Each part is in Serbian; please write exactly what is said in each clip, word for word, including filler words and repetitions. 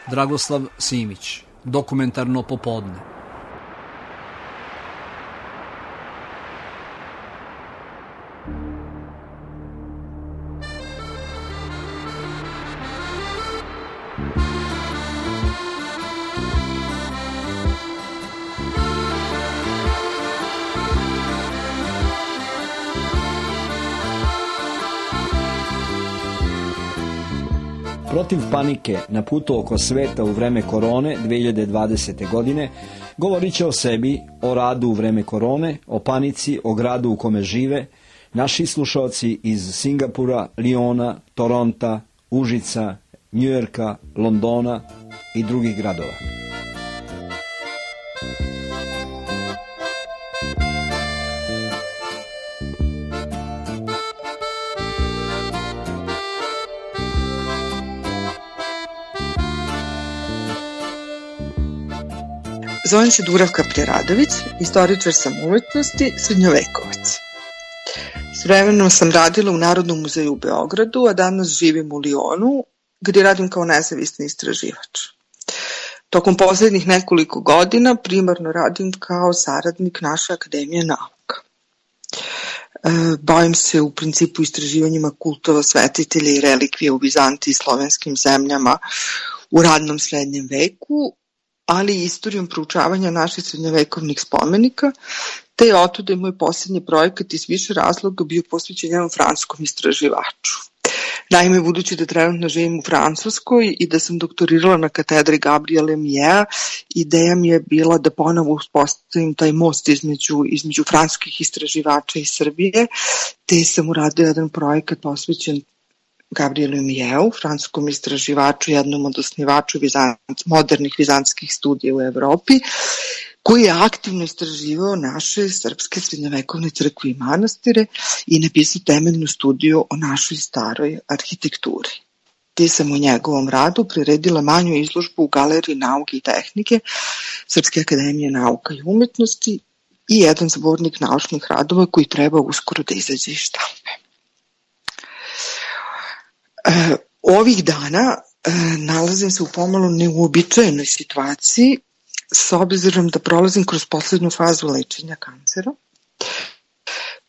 Dragoslav Simić, Dokumentarno popodne. Protiv panike na putu oko sveta u vreme korone dve hiljade dvadesete. godine govorit će o sebi, o radu u vreme korone, o panici, o gradu u kome žive naši slušalci iz Singapura, Liona, Toronta, Užica, Njujorka, Londona i drugih gradova. Zovem se Dubravka Preradović, istoričar sam umetnosti, srednjovekovac. S vremenom sam radila u Narodnom muzeju u Beogradu, a danas živim u Lionu, gdje radim kao nezavisni istraživač. Tokom posljednjih nekoliko godina primarno radim kao saradnik naše Akademije nauka. Bavim se u principu istraživanjima kultova, svetitelja i relikvije u Bizantiji i slovenskim zemljama u radnom srednjem veku, ali i istorijom proučavanja naših srednjovekovnih spomenika, te je otuda i moj posljednji projekat iz više razloga bio posvećen jednom francuskom istraživaču. Naime, budući da trenutno živim u Francuskoj i da sam doktorirala na katedri Gabriela Millela, ideja mi je bila da ponovo uspostavim taj most između, između francuskih istraživača i Srbije, te sam uradila jedan projekat posvećen Gabrielu Millellu, francuskom istraživaču, jednom od osnivača Vizant, modernih vizantskih studija u Evropi, koji je aktivno istraživao naše srpske srednjovekovne crkve i manastire i napisao temeljnu studiju o našoj staroj arhitekturi. Te sam u njegovom radu priredila manju izložbu u Galeriji nauke i tehnike Srpske akademije nauka i umetnosti i jedan zbornik naučnih radova koji treba uskoro da izađe iz štampe. E, ovih dana e, nalazim se u pomalo neuobičajenoj situaciji s obzirom da prolazim kroz poslednju fazu lečenja kancera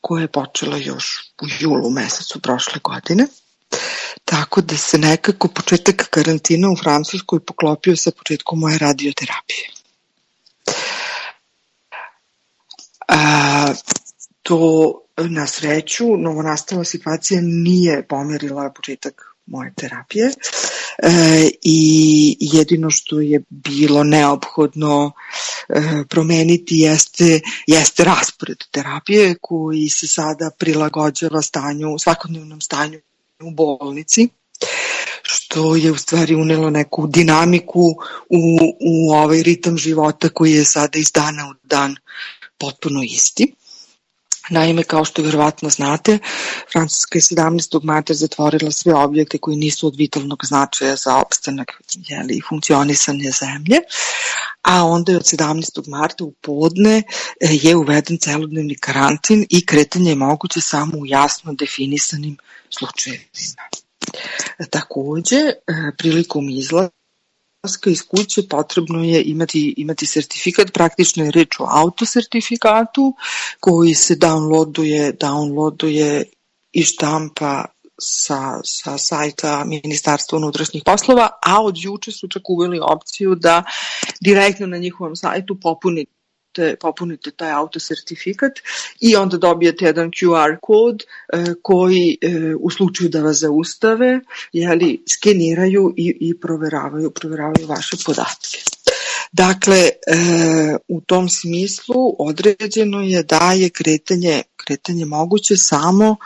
koja je počela još u julu mesecu prošle godine, tako da se nekako početak karantina u Francuskoj poklopio sa početkom moje radioterapije. A, to na sreću novonastala situacija nije pomerila početak moje terapije e, i jedino što je bilo neophodno e, promeniti jeste, jeste raspored terapije koji se sada prilagođava stanju, svakodnevnom stanju u bolnici, što je u stvari unelo neku dinamiku u, u ovaj ritam života koji je sada iz dana u dan potpuno isti. Naime, kao što vjerovatno znate, Francuska je sedamnaestog marta zatvorila sve objekte koji nisu od vitalnog značaja za opstanak jeli, i funkcionisanje zemlje, a onda je od sedamnaestog marta u podne je uveden celodnevni karantin i kretanje je moguće samo u jasno definisanim slučajevima. Takođe, prilikom izlaska iz kuće potrebno je imati, imati sertifikat, praktično je reč o autosertifikatu koji se downloaduje, downloaduje i štampa sa, sa sajta Ministarstva unutrašnjih poslova, a od juče su čak uveli opciju da direktno na njihovom sajtu popunite Te, popunite taj autosertifikat i onda dobijete jedan Q R kod e, koji e, u slučaju da vas zaustave jeli, skeniraju i, i proveravaju, proveravaju vaše podatke. Dakle, e, u tom smislu određeno je da je kretanje, kretanje moguće samo,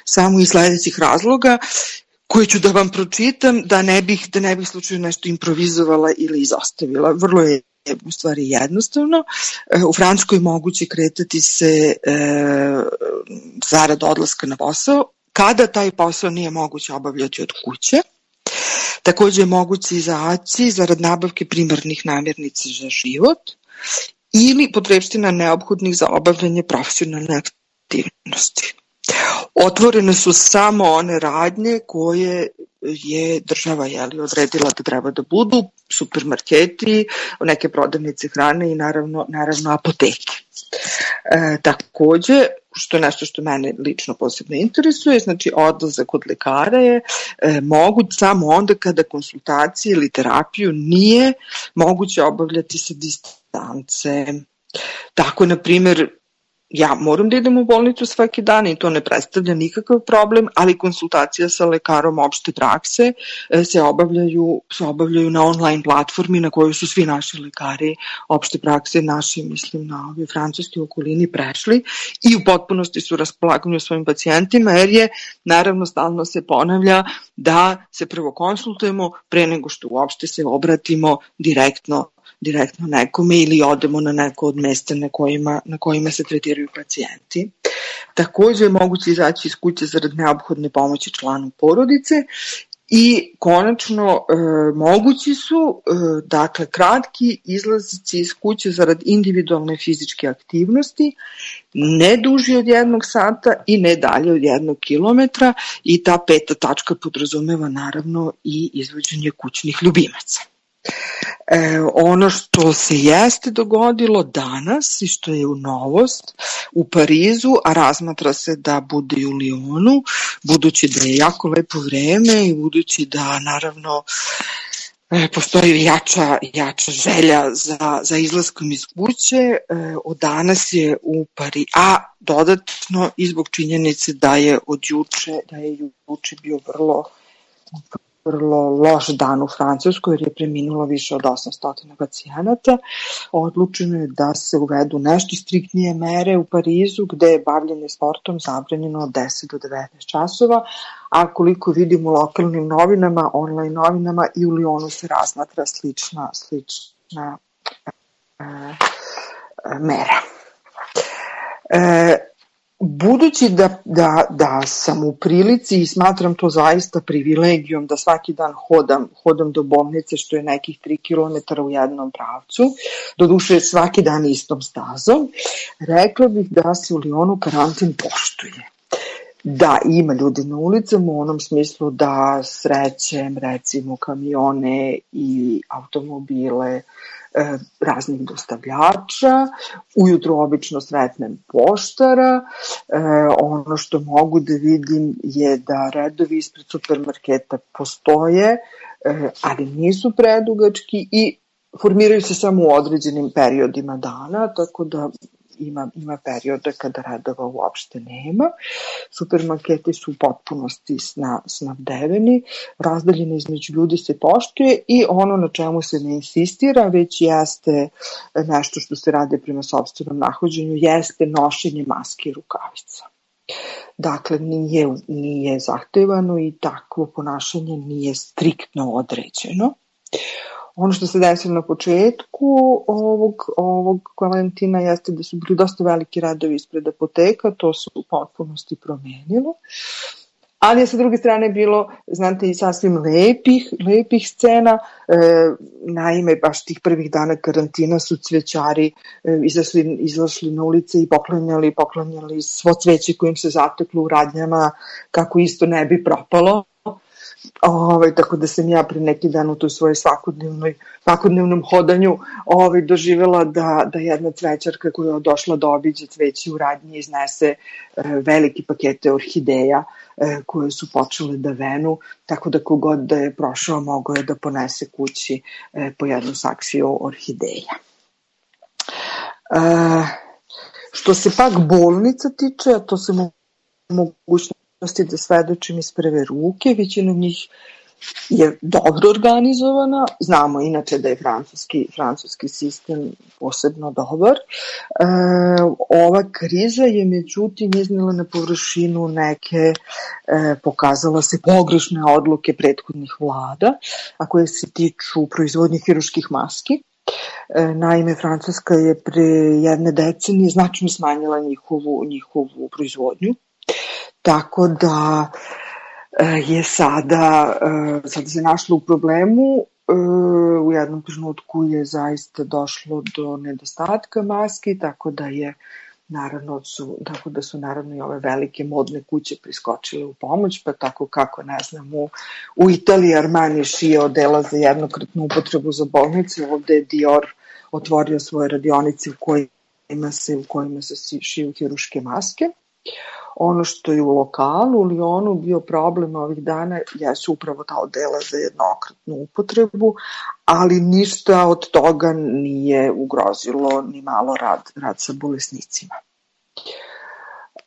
samo iz sledećih razloga koje ću da vam pročitam da ne bih, da ne bih slučajno nešto improvizovala ili izostavila. Vrlo je u stvari jednostavno. U Francuskoj moguće kretati se e, zarad odlaska na posao, kada taj posao nije moguće obavljati od kuće. Takođe je moguće izaći zarad nabavke primarnih namirnica za život ili potrepština neophodnih za obavljanje profesionalne aktivnosti. Otvorene su samo one radnje koje je država jeli, odredila da treba da budu supermarketi, neke prodavnice hrane i naravno, naravno apoteke. E, takođe, što je nešto što mene lično posebno interesuje, znači odlazak kod lekara je e, moguć samo onda kada konsultacije ili terapiju nije moguće obavljati sa distance. Tako, na primjer, ja moram da idem u bolnicu svaki dan i to ne predstavlja nikakav problem, ali konsultacija sa lekarom opšte prakse se obavljaju, se obavljaju na online platformi na kojoj su svi naši lekari opšte prakse, naši, mislim, na ovoj francuskoj okolini prešli i u potpunosti su raspolaganju svojim pacijentima, jer je, naravno, stalno se ponavlja da se prvo konsultujemo pre nego što uopšte se obratimo direktno direktno nekome ili odemo na neko od mesta na kojima, na kojima se tretiraju pacijenti. Takođe je moguće izaći iz kuće zarad neophodne pomoći članu porodice i konačno e, mogući su e, dakle kratki izlazici iz kuće zarad individualne fizičke aktivnosti, ne duži od jednog sata i ne dalje od jednog kilometra, i ta peta tačka podrazumeva naravno i izvođenje kućnih ljubimaca. E, ono što se jeste dogodilo danas i što je u novost u Parizu, a razmatra se da bude i u Lionu, budući da je jako lepo vreme i budući da naravno e, postoji jača, jača želja za, za izlaskom iz kuće, e, od danas je u Parizu, a dodatno i zbog činjenice da je od juče, da je juče bio vrlo vrlo loš dan u Francuskoj jer je preminulo više od osamsto pacijenata. Odlučeno je da se uvedu nešto striktnije mere u Parizu gde je bavljenje sportom zabranjeno od deset do devetnaest časova, a koliko vidim u lokalnim novinama, online novinama, i u Lionu se razmatra slična, slična e, e, mera. E, Budući da, da, da sam u prilici i smatram to zaista privilegijom da svaki dan hodam, hodam do bolnice, što je nekih tri kilometra u jednom pravcu, doduše svaki dan istom stazom, rekla bih da se u Lionu karantin poštuje. Da, ima ljudi na ulicama u onom smislu da srećem recimo kamione i automobile raznih dostavljača, ujutru obično sretnem poštara, e, ono što mogu da vidim je da redovi ispred supermarketa postoje, e, ali nisu predugački i formiraju se samo u određenim periodima dana, tako da ima, ima perioda kada redova uopšte nema. Supermarketi su u potpunosti sna, snabdeveni, razdaljine između ljudi se poštuje i ono na čemu se ne insistira, već jeste nešto što se radi prema sopstvenom nahođenju, jeste nošenje maske i rukavica. Dakle, nije, nije zahtevano i takvo ponašanje nije striktno određeno. Ono što se desilo na početku ovog, ovog karantina jeste da su bili dosta veliki radovi ispred apoteka, to se u potpunosti promenilo, ali je sa druge strane bilo, znate, i sasvim lepih, lepih scena, e, naime, baš tih prvih dana karantina su cvećari e, izašli, izašli na ulice i poklanjali, poklanjali svo cveće kojim se zateklo u radnjama, kako isto ne bi propalo. Ovaj, tako da sam ja pre neki dan u toj svojoj svakodnevnoj, svakodnevnom hodanju ovaj, doživjela da, da jedna cvećarka koja je došla da obiđe cveće u radnji iznese e, veliki pakete orhideja e, koje su počele da venu, tako da kogod da je prošao mogao je da ponese kući e, po jednu saksiju orhideja. E, što se pak bolnica tiče, a to se mogućno da svedočim iz prve ruke, većina njih je dobro organizovana, znamo inače da je francuski, francuski sistem posebno dobar. E, ova kriza je međutim iznela na površinu neke, e, pokazala se pogrešne odluke prethodnih vlada, a koje se tiču proizvodnje hirurških maski. E, naime, Francuska je pre jedne decenije značajno smanjila njihovu, njihovu proizvodnju. Tako da je sada, sada se našlo u problemu, u jednom trenutku je zaista došlo do nedostatka maski, tako da je naravno su, tako da su naravno i ove velike modne kuće priskočile u pomoć, pa tako kako, ne znam, u, u Italiji Armani šije odela za jednokratnu upotrebu za bolnice, ovde je Dior otvorio svoje radionice u kojima se, u kojima se šiju hiruške maske. Ono što je u lokalu, u Lionu, bio problem ovih dana, jesu upravo ta odela za jednokratnu upotrebu, ali ništa od toga nije ugrozilo ni malo rad, rad sa bolesnicima.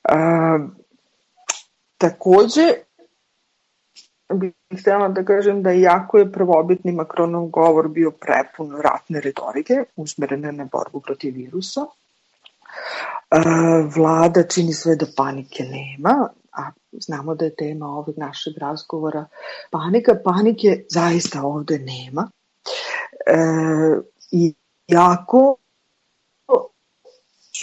E, takođe, bih htjela da kažem da iako je prvobitni Macronov govor bio prepun ratne retorike, usmerene na borbu protiv virusa, vlada čini sve da panike nema, a znamo da je tema ovog našeg razgovora panika. Panike zaista ovde nema. E, i jako,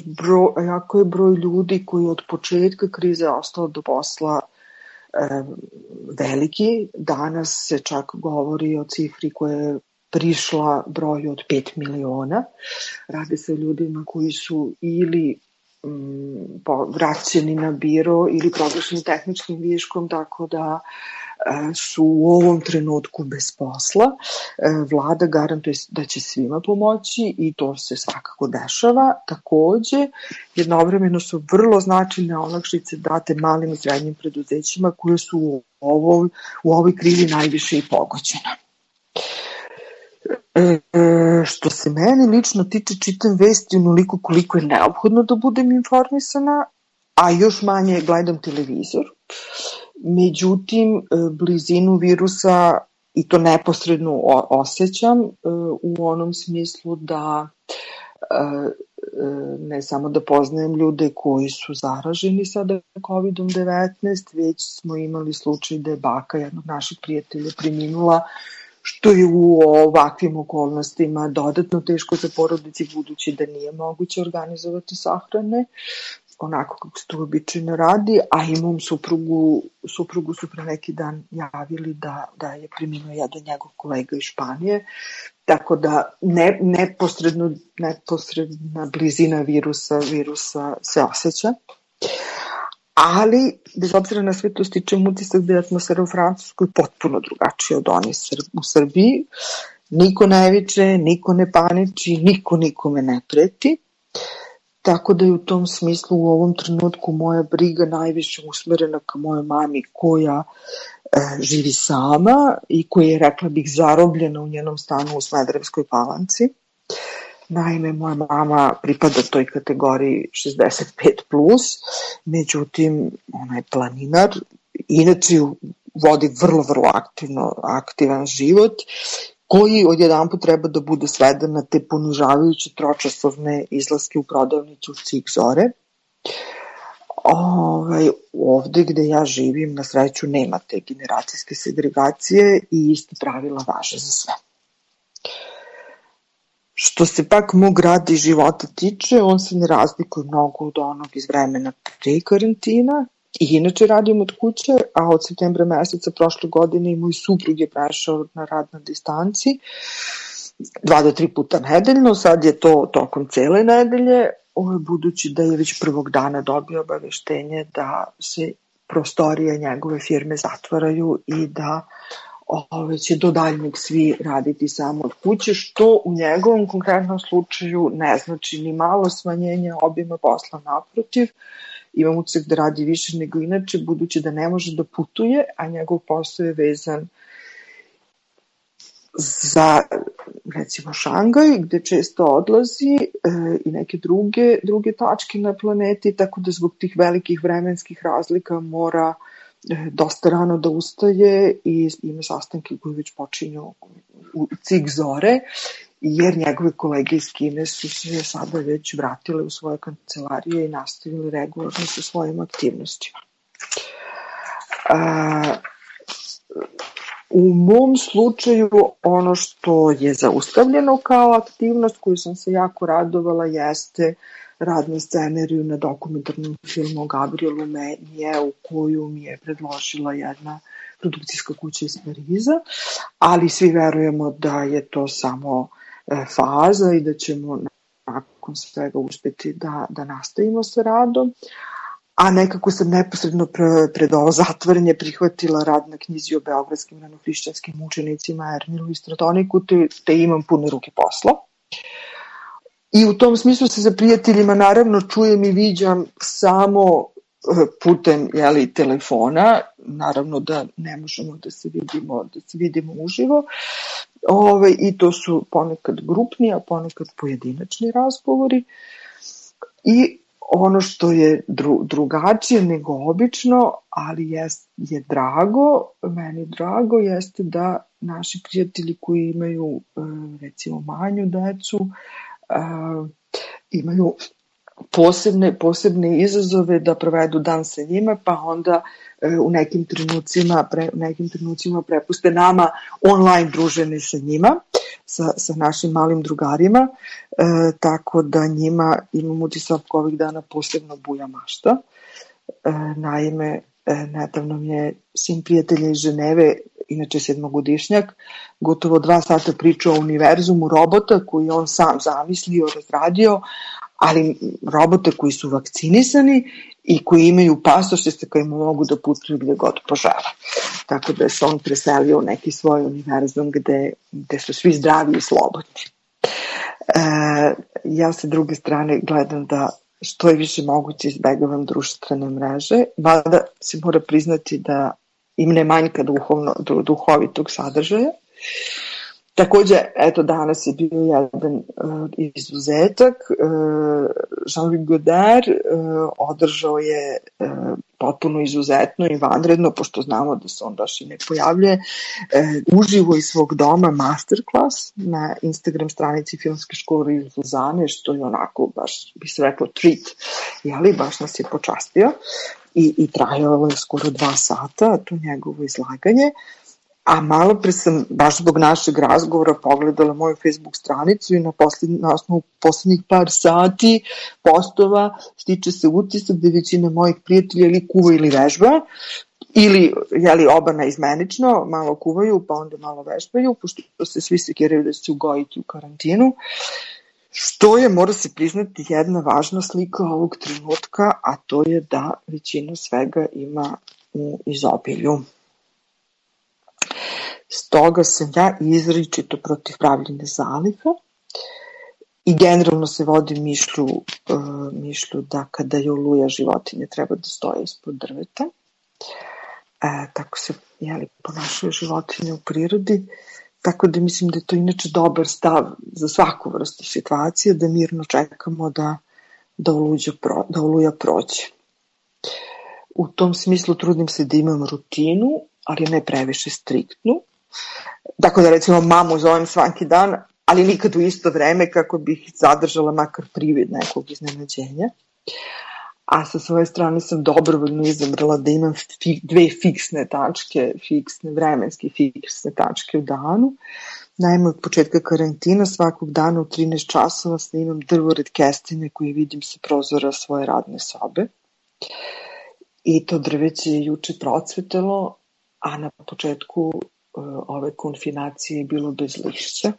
broj, jako je broj ljudi koji od početka krize ostao do posla e, veliki. Danas se čak govori o cifri koja je prišla broju od pet miliona. Radi se o ljudima koji su ili um, vraćeni na biro ili proglašeni tehničkim viškom, tako da e, su u ovom trenutku bez posla. E, vlada garantuje da će svima pomoći i to se svakako dešava. Takođe, jednovremeno su vrlo značajne olakšice date malim i srednjim preduzećima koje su u ovoj, u ovoj krizi najviše i pogođena. E, što se meni lično tiče, čitam vesti onoliko koliko je neophodno da budem informisana, a još manje gledam televizor. Međutim, blizinu virusa, i to neposredno osjećam, u onom smislu da ne samo da poznajem ljude koji su zaraženi sada kovidom devetnaest, već smo imali slučaj da je baka jednog naših prijatelja preminula, što je u ovakvim okolnostima dodatno teško za porodici, budući da nije moguće organizovati sahrane, onako kako se to običajno radi, a imam suprugu, suprugu su pre neki dan javili da, da je preminuo jedan njegov kolega iz Španije, tako da ne, neposredno, neposredna blizina virusa, virusa se osjeća. Ali, bez obzira na sve to, stičem utisak da je atmosfera u Francuskoj potpuno drugačija od one u Srbiji. Niko ne viče, niko ne paniči, niko nikome ne preti. Tako da je u tom smislu u ovom trenutku moja briga najviše usmerena ka mojoj mami koja e, živi sama i koja je, rekla bih, zarobljena u njenom stanu u Smederevskoj Palanci. Naime, moja mama pripada toj kategoriji šezdeset pet plus, međutim, ona je planinar, inače vodi vrlo, vrlo aktivno, aktivan život, koji odjedanput treba da bude sveden na te ponižavajuće tročasovne izlaske u prodavnicu Cig Zore. Ovaj, ovde gde ja živim, na sreću, nema te generacijske segregacije i iste pravila važe za sve. Što se pak mog rada i života tiče, on se ne razlikuje mnogo od onog iz vremena pre karantina. I inače radim od kuće, a od septembra meseca prošle godine i moj suprug je prešao na rad na distanci dva do tri puta nedeljno, sad je to tokom cele nedelje, budući da je već prvog dana dobio obaveštenje da se prostorije njegove firme zatvaraju i da ove, će do daljnjeg svi raditi samo od kuće, što u njegovom konkretnom slučaju ne znači ni malo smanjenje obima posla, naprotiv. Imam utisak da radi više nego inače, budući da ne može da putuje, a njegov posao je vezan za, recimo, Šangaj, gde često odlazi e, i neke druge, druge tačke na planeti, tako da zbog tih velikih vremenskih razlika mora e, dosta rano da ustaje i ima sastanke koji već počinju u Cig Zore, jer njegove kolege iz Kine su se sada već vratile u svoje kancelarije i nastavili regularno sa svojim aktivnostima. A, u mom slučaju ono što je zaustavljeno kao aktivnost koju sam se jako radovala jeste rad na scenariju na dokumentarnom filmu o Gabrielu Menije, u koju mi je predložila jedna produkcijska kuća iz Pariza, ali svi verujemo da je to samo faza i da ćemo nakon svega uspeti da, da nastavimo sa radom. A nekako sam neposredno pre, pred ovo zatvaranje prihvatila rad na knjizi o beogradskim ranohrišćanskim mučenicima Ermilu i Stratoniku, te, te imam pune ruke posla. I u tom smislu se sa prijateljima naravno čujem i viđam samo putem, jeli, telefona, naravno da ne možemo da se vidimo, da se vidimo uživo. Ove, i to su ponekad grupni, a ponekad pojedinačni razgovori. I ono što je dru, drugačije nego obično, ali je, je drago, meni drago, jeste da naši prijatelji koji imaju recimo manju decu, imaju posebne, posebne izazove da provedu dan sa njima, pa onda u nekim trenucima, pre, nekim trenucima prepuste nama online druženje sa njima, sa, sa našim malim drugarima, e, tako da njima imam utisak ovih dana posebno buja mašta. E, naime, e, nedavno mi je sin prijatelja iz Ženeve, inače sedmogodišnjak, gotovo dva sata pričao o univerzumu robota koji on sam zamislio, razradio, ali robote koji su vakcinisani i koji imaju pasoše sa kojima mogu da putuju gde god požele. Tako da se on preselio u neki svoj univerzum gde, gde su svi zdravi i slobodni. E, ja sa druge strane gledam da što je više moguće izbegavam društvene mreže, mada se mora priznati da im ne manjka duhovno, duhovitog sadržaja. Takođe, eto, danas je bio jedan uh, izuzetak. Uh, Jean-Luc Godard uh, održao je uh, potpuno izuzetno i vanredno, pošto znamo da se on baš i ne pojavljuje, uh, uživo iz svog doma masterclass na Instagram stranici Filmske škole iz Lozane, što je onako, baš bi se reklo, treat, jeli, baš nas je počastio. I, i trajalo je skoro dva sata, to njegovo izlaganje. A malo pre sam, baš zbog našeg razgovora, pogledala moju Facebook stranicu i na, posljednj, na osnovu poslednjih par sati postova stiče se utisak da većina mojih prijatelja ili kuva ili vežba, ili jeli, oba naizmenično, malo kuvaju pa onda malo vežbaju, pošto se svi sekiraju da će ugojiti u karantinu. Što je, mora se priznati, jedna važna slika ovog trenutka, a to je da većina svega ima u izobilju. Stoga sam ja izričito protiv pravljenja zaliha i generalno se vodi mišlju, uh, mišlju da kada je oluja životinje treba da stoje ispod drveta. E, tako se jeli, ponašaju životinje u prirodi, tako da mislim da je to inače dobar stav za svaku vrstu situacije, da mirno čekamo da, da, oluja, pro, da oluja prođe. U tom smislu trudim se da imam rutinu, ali ne previše striktnu. Tako da recimo mamu zovem svaki dan, ali nikad u isto vreme kako bih zadržala makar privid nekog iznenađenja. A sa svoje strane sam dobrovoljno izabrala da imam fi, dve fiksne tačke, fiksne, vremenske fiksne tačke u danu. Naime, od početka karantina svakog dana u trinaest časova snimam drvored kestine koji vidim sa prozora svoje radne sobe. I to drveće je juče procvetalo, a na početku ove konfinacije je bilo bez lišća,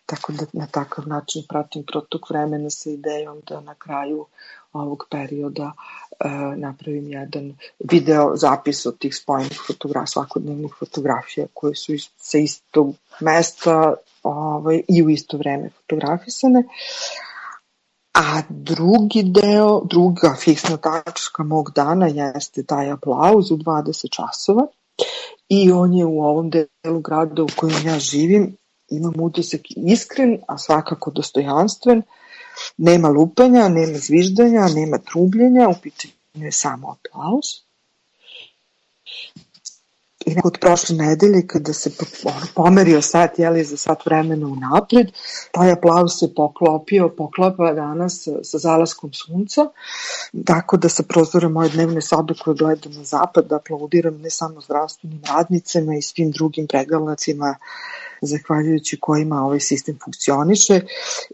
tako da na takav način pratim protok vremena sa idejom da na kraju ovog perioda e, napravim jedan video zapis od tih spojenih fotografija, svakodnevnih fotografija koje su iz, sa istog mesta ovaj, i u isto vreme fotografisane. A drugi deo, druga fiksna tačka mog dana jeste taj aplauz u dvadeset časova. I on je u ovom delu grada u kojem ja živim, imam utisak iskren, a svakako dostojanstven, nema lupanja, nema zviždanja, nema trubljenja, u pitanju je samo aplauz. I nekako od prošle nedelje, kada se pomerio sat, jeli, za sat vremena unapred, taj aplauz se poklopio, poklapa danas sa zalaskom sunca, tako da sa prozora moje dnevne sobe koje gledam na zapad, aplaudiram ne samo zdravstvenim radnicama i svim drugim preglednicima, zahvaljujući kojima ovaj sistem funkcioniše,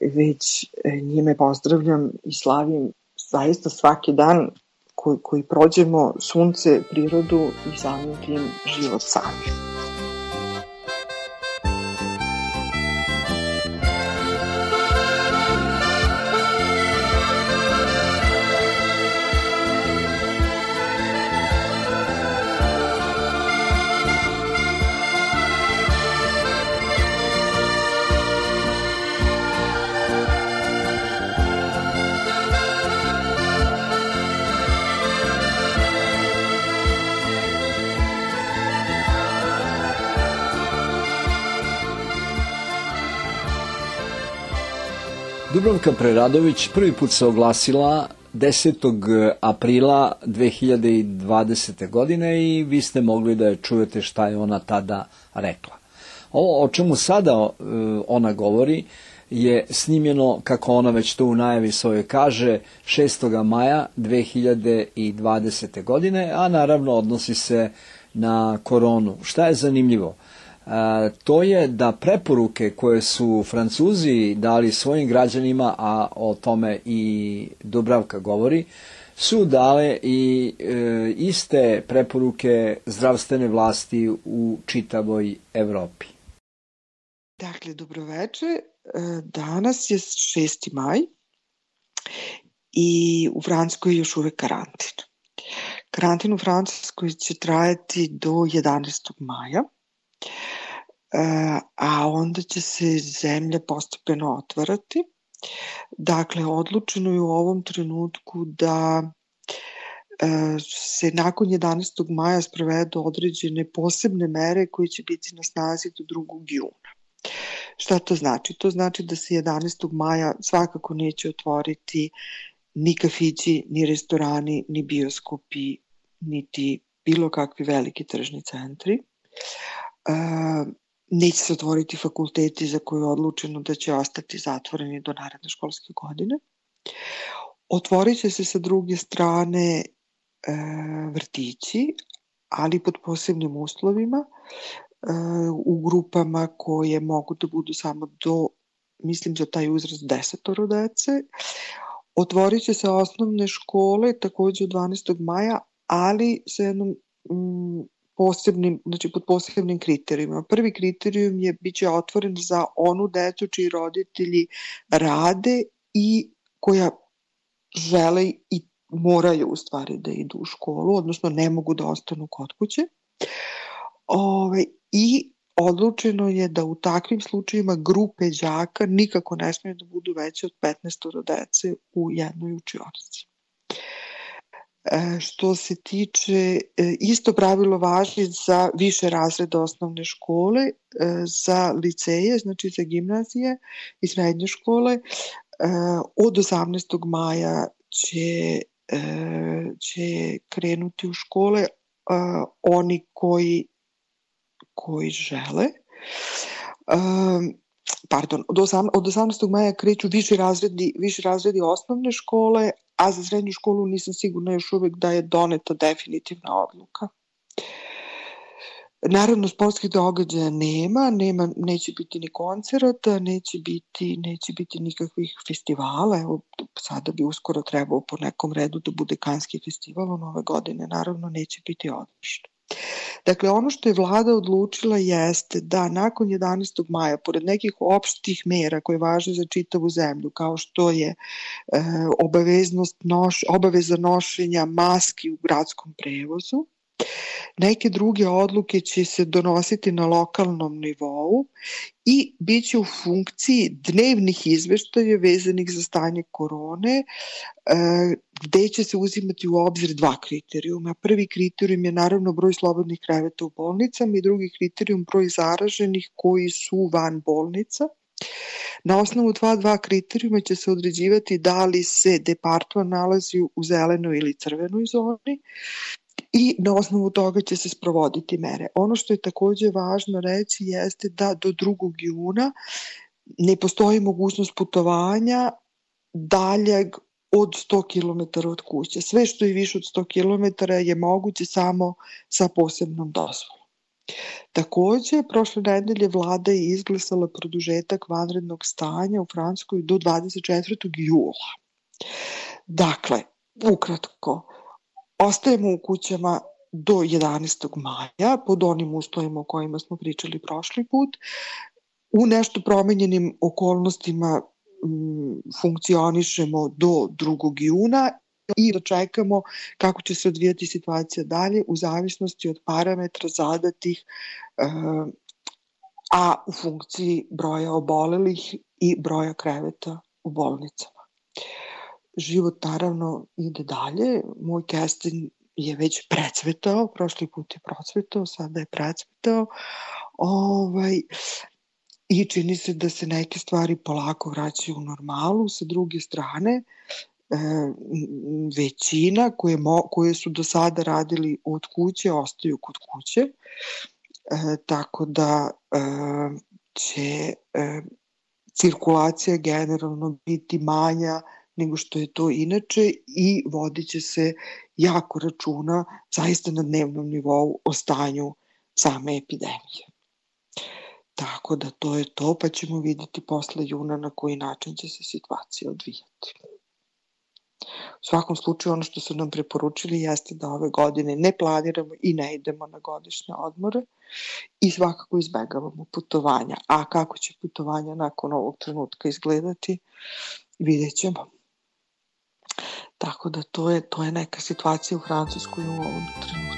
već njime pozdravljam i slavim zaista svaki dan koji, koji prođemo, sunce, prirodu i samim tim život sami. Dubravka Preradović prvi put se oglasila desetog aprila dve hiljade dvadesete. godine i vi ste mogli da je čujete šta je ona tada rekla. Ovo o čemu sada uh, ona govori je snimljeno, kako ona već to u najavi svojoj kaže, šestog maja dve hiljade dvadesete. godine, a naravno odnosi se na koronu. Šta je zanimljivo? E, to je da preporuke koje su Francuzi dali svojim građanima, a o tome i Dubravka govori, su dale i e, iste preporuke zdravstvene vlasti u čitavoj Evropi. Dakle, dobroveče. Danas je šesti maj i u Francuskoj je još uvek karantin. Karantin u Francuskoj će trajati do jedanaestog maja, a onda će se zemlja postepeno otvarati. Dakle, odlučeno je u ovom trenutku da se nakon jedanaestog maja sprovedu određene posebne mere koje će biti na snazi do drugog juna. Šta to znači? To znači da se jedanaestog maja svakako neće otvoriti ni kafići, ni restorani, ni bioskopi, niti bilo kakvi veliki tržni centri. E, neće se otvoriti fakulteti za koje je odlučeno da će ostati zatvoreni do naredne školske godine. Otvorit će se sa druge strane e, vrtići, ali pod posebnim uslovima, u grupama koje mogu da budu samo do, mislim za taj uzrast, desetoro dece. Otvorit će se osnovne škole takođe od dvanaestog maja, ali sa jednom mm, posebnim, znači pod posebnim kriterijima. Prvi kriterijum je bit će otvoren za onu decu čiji roditelji rade i koja žele i moraju u stvari da idu u školu, odnosno ne mogu da ostanu kod kuće. Ove, I odlučeno je da u takvim slučajima grupe đaka nikako ne smiju da budu veće od petnaestoro dece u jednoj učionici. E, što se tiče, e, isto pravilo važi za više razreda osnovne škole, e, za liceje, znači za gimnazije i srednje škole. E, od osamnaestog maja će, e, će krenuti u škole e, oni koji koji žele. Um, pardon, od, osam, od osamnaestog maja kreću viši razredi, viši razredi osnovne škole, a za srednju školu nisam sigurna još uvek da je doneta definitivna odluka. Naravno, sportskih događaja nema, nema, neće biti ni koncerata, neće biti, neće biti nikakvih festivala. Evo, sada bi uskoro trebao po nekom redu da bude Kanski festival, on ove godine naravno neće biti održan. Dakle, ono što je vlada odlučila jeste da nakon jedanaestog maja, pored nekih opštih mera koje važe za čitavu zemlju, kao što je e, obaveznost noš, obaveza nošenja maski u gradskom prevozu, neke druge odluke će se donositi na lokalnom nivou i bit će u funkciji dnevnih izveštaja vezanih za stanje korone, gde će se uzimati u obzir dva kriterijuma. Prvi kriterijum je naravno broj slobodnih kreveta u bolnicama i drugi kriterijum broj zaraženih koji su van bolnica. Na osnovu dva, dva kriterijuma će se određivati da li se departman nalazi u zelenoj ili crvenoj zoni i na osnovu toga će se sprovoditi mere. Ono što je takođe važno reći jeste da do drugog juna ne postoji mogućnost putovanja daljeg od sto kilometara od kuće. Sve što je više od sto kilometara je moguće samo sa posebnom dozvolom. Takođe, prošle nedelje vlada je izglasala produžetak vanrednog stanja u Francuskoj do dvadeset četvrtog jula. Dakle, ukratko, ostajemo u kućama do jedanaestog maja, pod onim uslovima o kojima smo pričali prošli put. U nešto promenjenim okolnostima m, funkcionišemo do drugog juna i da čekamo kako će se odvijati situacija dalje u zavisnosti od parametra zadatih, e, a u funkciji broja obolelih i broja kreveta u bolnicama. Život naravno ide dalje, moj kesten je već precvetao, prošli put je procvetao, sada je precvetao. Ovaj, i čini se da se neke stvari polako vraćaju u normalu. Sa druge strane, većina koje, mo, koje su do sada radili od kuće ostaju kod kuće, e, tako da e, će e, cirkulacija generalno biti manja nego što je to inače i vodit će se jako računa zaista na dnevnom nivou o stanju same epidemije. Tako da to je to, pa ćemo vidjeti posle juna na koji način će se situacija odvijati. U svakom slučaju ono što su nam preporučili jeste da ove godine ne planiramo i ne idemo na godišnje odmore i svakako izbegavamo putovanja. A kako će putovanja nakon ovog trenutka izgledati, vidjet ćemo. Tako da to je, to je neka situacija u Francuskoj u ovom trenutku.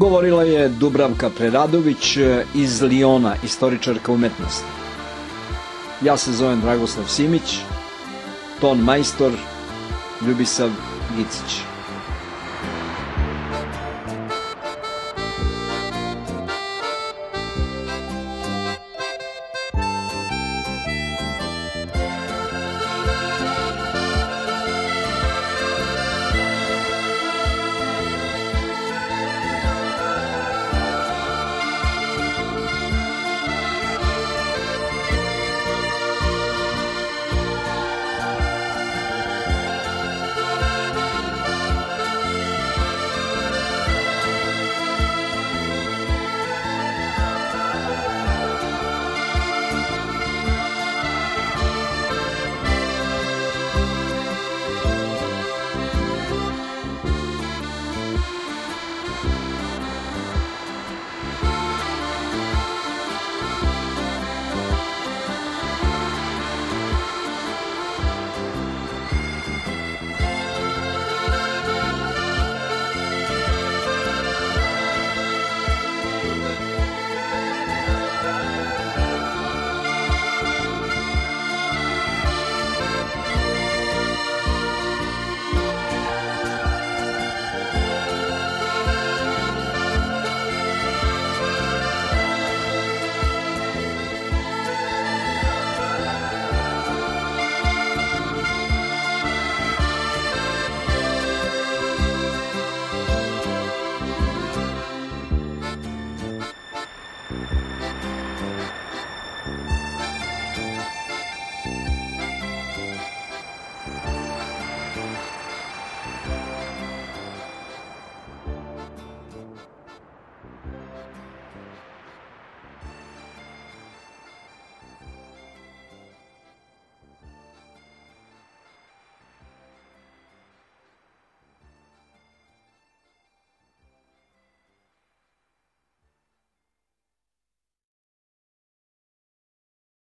Govorila je Dubravka Preradović iz Liona, istoričarka umetnosti. Ja se zovem Dragoslav Simić, ton majstor Ljubisav Gicić.